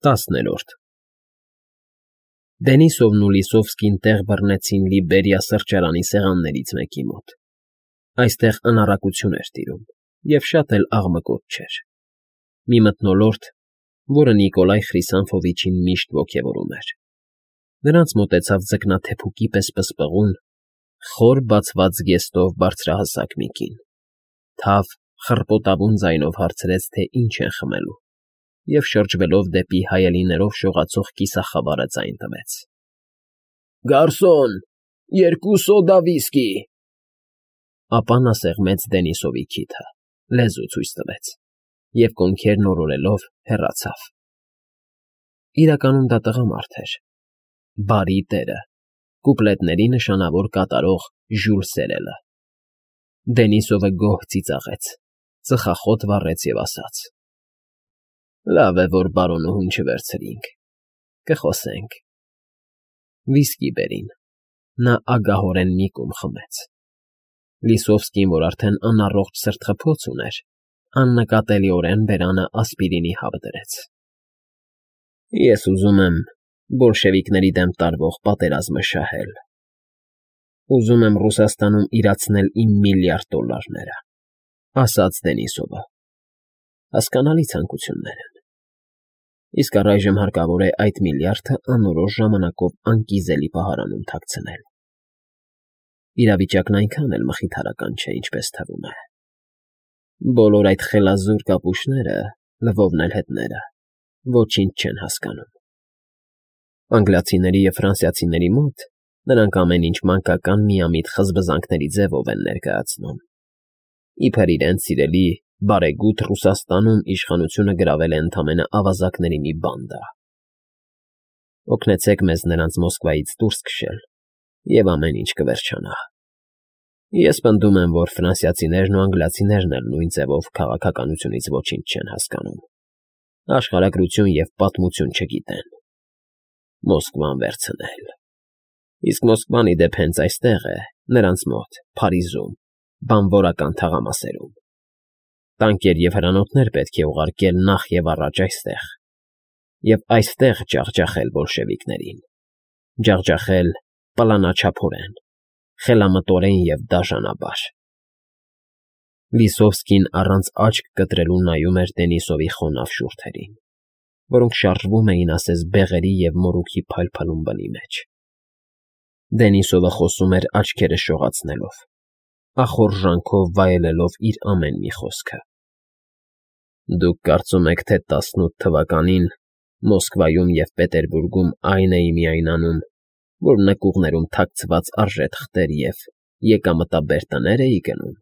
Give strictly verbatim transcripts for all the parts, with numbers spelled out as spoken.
Տասներորդ Դենիսովն ու Լիսովսկին տեղ բռնեցին Լիբերիա սրճարանի սեղաններից մեկի մոտ. այստեղ անառակություն էր տիրում և շատ էլ աղմկոտ չէր. մի մթնոլորտ, որը Նիկոլայ Խրիսանֆովիչին միշտ ոգևորում էր. նրանց մոտեցավ ձկնաթեփուկի պես պսպղուն, խոր բացված զգեստով բարձրահասակ մի կին, թավ, խռպոտավուն ձայնով հարցրեց, թե ինչ են խմելու, և շրջվելով դեպի հայելիներով շողացող կիսախավարը ձայն տվեց. Գարսոն, երկու սոդա վիսկի… Ապա նա սեղմեց Դենիսովի քիթը, լեզու ցույց տվեց և կոնքերն օրորելով հեռացավ. իրականում դա տղամարդ էր, բարի տերը, կուպլետների նշանավոր կատարող Ժյուլ Սերելը։ Դենիսովը գոհ ծիծաղեց, ծխախոտ վառեց և ասաց. լավ է, որ բարոնուհուն չվերցրինք, կխոսենք… Վիսկի բերին, նա ագահորեն մի կում խմեց։ Լիսովսկին, որ արդեն անառողջ սրտխփոց ուներ, աննկատելիորեն բերանը ասպիրինի հավ դրեց։ Ես ուզում եմ բոլշևիկների դեմ տարվող պատերազմը շահել, ուզում եմ Ռուսաստանում իրացնել իմ միլիարդ դոլլարները, ասաց Դենիսովը, հասկանալի ցանկություններ են, իսկ առայժմ հարկավոր է այդ միլիարդը անորոշ ժամանակով անկիզելի պահարանում թաքցնել։ Իրավիճակն այնքան էլ մխիթարական չէ, ինչպես թվում է։ Բոլոր այդ խելազուր կապուշները, լվովն էլ հետները, ոչինչ չեն հասկանում։ Անգլիացիների և ֆրանսիացիների մոտ նրանք ամեն ինչ մանկական միամիտ խզբզանքների ձևով են ներկայացնում, իբր իրենց սիրելի, բարեգութ Ռուսաստանում իշխանությունը գրավել է ընդամենը ավազակների մի բանդա։ Օգնեցեք մեզ նրանց Մոսկվայից դուրս քշել, և ամեն ինչ կվերջանա։ Ես պնդում եմ, որ ֆրանսիացիներն ու անգլիացիներն էլ նույն ձևով քաղաքականությունից ոչինչ չեն հասկանում, աշխարհագրություն և պատմություն չգիտեն։ Մոսկվան վերցնել… Իսկ Մոսկվան, ի դեպ, հենց այստեղ է, նրանց մոտ, Փարիզում, բանվորական թաղամասերում։ Տանկեր և հրանոթներ պետք է ուղարկել նախ և առաջ այստեղ, և այստեղ ջախջախել բոլշևիկներին, ջախջախել պլանաչափորեն, խելամտորեն և դաժանաբար… Լիսովսկին առանց աչք կտրելու նայում էր Դենիսովի խոնավ շուրթերին, որոնք շարժվում էին ասես բեղերի և մորուքի փայլփլուն բլի մեջ։ Դենիսովը խոսում էր աչքերը շողացնելով, ախորժանքով վայելելով իր ամեն մի խոսքը։ Դուք կարծում եք, թե տասնութ թվականին Մոսկվայում և Պետերբուրգում այն էի միայն անում, որ նկուղներում թաքցված արժե թղթեր և եկամտաբեր տներ էի գնում։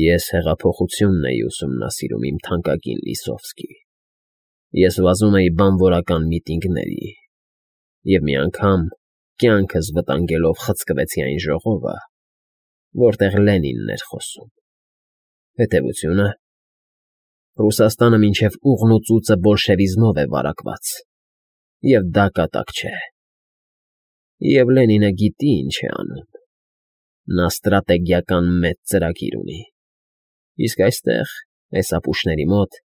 Ես հեղափոխությունն էի ուսումնասիրում, իմ թանկագին Լիսովսկի, ես վազում էի բանվորական միտինգների, և մի անգամ կյանքս վտանգելով խցկվեցի այն ժողովը, որտեղ Լենինն էր խոսում։ Հետևությունը… Ռուսաստանը մինչև ուղն ու ծուծը բոլշևիզմով է վարակված, և դա կատակ չէ։ Եվ Լենինը գիտի ինչ է անում, նա ստրատեգիական մեծ ծրագիր ունի, իսկ այստեղ, այս ապուշների մոտ,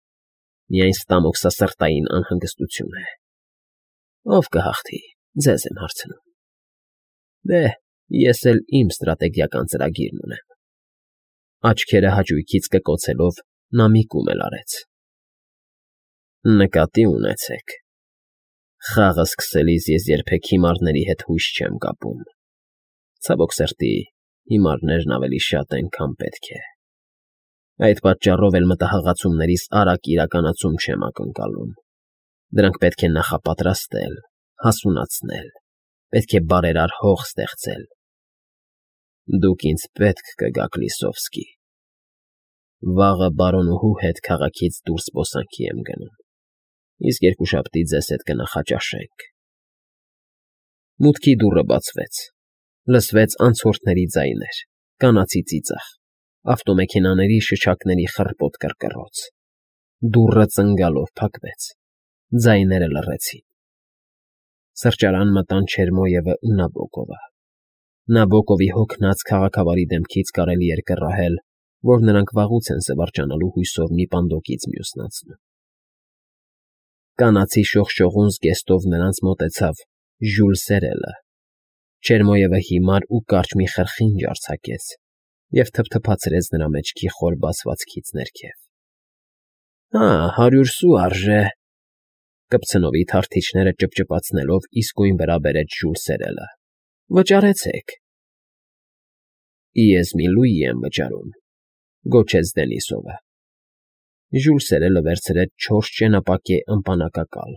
միայն ստամոքսասրտային անհանգստություն է։ Ով կհաղթի, ձեզ եմ հարցնում։ Դե, ես էլ իմ ստրատեգիական ծրագիրն ունեմ։ Աչքերը հաճույքից կկոցելով նա մի կում էլ արեց։ Նկատի ունեցեք, խաղը սկսելիս ես երբեք հիմարների հետ հույս չեմ կապում, ցավոք սրտի, հիմարներն ավելի շատ են, քան պետք է։ Այդ պատճառով էլ մտահղացումներիս արագ իրականացում չեմ ակնկալում, դրանք պետք է նախապատրաստել, հասունացնել, պետք է բարերար հող ստեղծել։ Դուք ինձ պետք կգաք, Լիսովսկի… Վաղը բարոնուհու հետ քաղաքից դուրս զբոսանքի եմ գնում, իսկ երկուշաբթի ձեզ հետ կնախաճաշենք… Մուտքի դուռը բացվեց, լսվեց անցորդների ձայներ, կանացի ծիծաղ, ավտոմեքենաների շչակների խռպոտ կռկռոց, դուռը ծնգալով փակվեց, ձայները լռեցին… Սրճարան մտան Չերմոյևը ու Նաբոկովը։ Նաբոկովի հոգնած քաղաքավարի դեմքից կարելի էր կռահել, որ նրանք վաղուց են զվարճանալու հույսով մի պանդոկից մյուսն անցնում։ Կանացի շողշողուն զգեստով նրանց մոտեցավ Ժյուլ Սերելը, Չերմոևը հիմար ու կարճ մի խրխինջ արձակեց և թփթփացրեց նրա մեջքի խոր բացվածքից ներքև։ ֊ Հա, հարյուր սու արժե,֊ կպցնովի թարթիչները ճպճպացնելով իսկույն վրա բերեց Ժյուլ Սերելը։֊ Վճարեցեք։ ֊ Ես մի լուի եմ վճարում,֊ գոչեց Դենիսովը։ Ժյուլ Սերելը վերցրեց չորս ճենապակե ըմպանակակալ.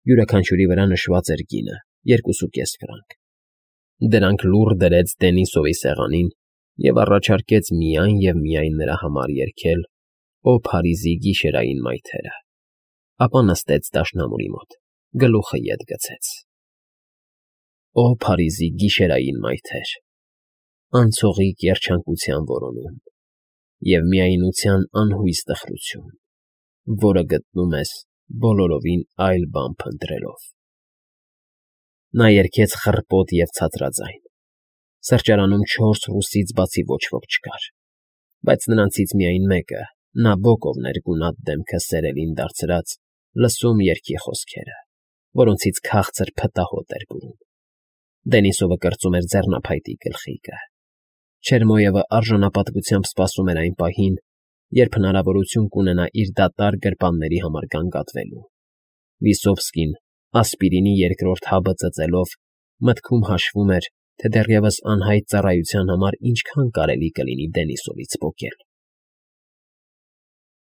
յուրաքանչյուրի վրա նշված էր գինը՝ երկուսուկես ֆրանկ։ Դրանք լուռ դրեց Դենիսովի սեղանին և առաջարկեց միայն և միայն նրա համար երգել «Օ Փարիզի գիշերային մայթերը», ապա նստեց դաշնամուրի մոտ, գլուխը ետ գցեց։ Օ Փարիզի գիշերային մայթեր, անցողիկ երջանկության որոնում և միայնության անհույս տխրություն, որը գտնում ես բոլորովին այլ բան փնտրելով… Նա երգեց խռպոտ և ցածրաձայն։ Սրճարանում չորս ռուսից բացի ոչ ոք չկար, բայց նրանցից միայն մեկը՝ Նաբոկովն էր գունատ դեմքը Սերելին դարձրած, լսում երգի խոսքերը, որոնցից քաղցր փտահոտ էր բուրում։ Դենիսովը կրծում էր ձեռնափայտի գլխիկը։ Չերմոևը արժանապատվությամբ սպասում էր այն պահին, երբ հնարավորություն կունենա իր դատարկ գրպանների համար գանգատվելու։ Վիսովսկին, ասպիրինի երկրորդ հաբը ծծելով, մտքում հաշվում էր, թե դեռևս անհայտ ծառայության համար ինչքան կարելի կլինի Դենիսովից պոկել։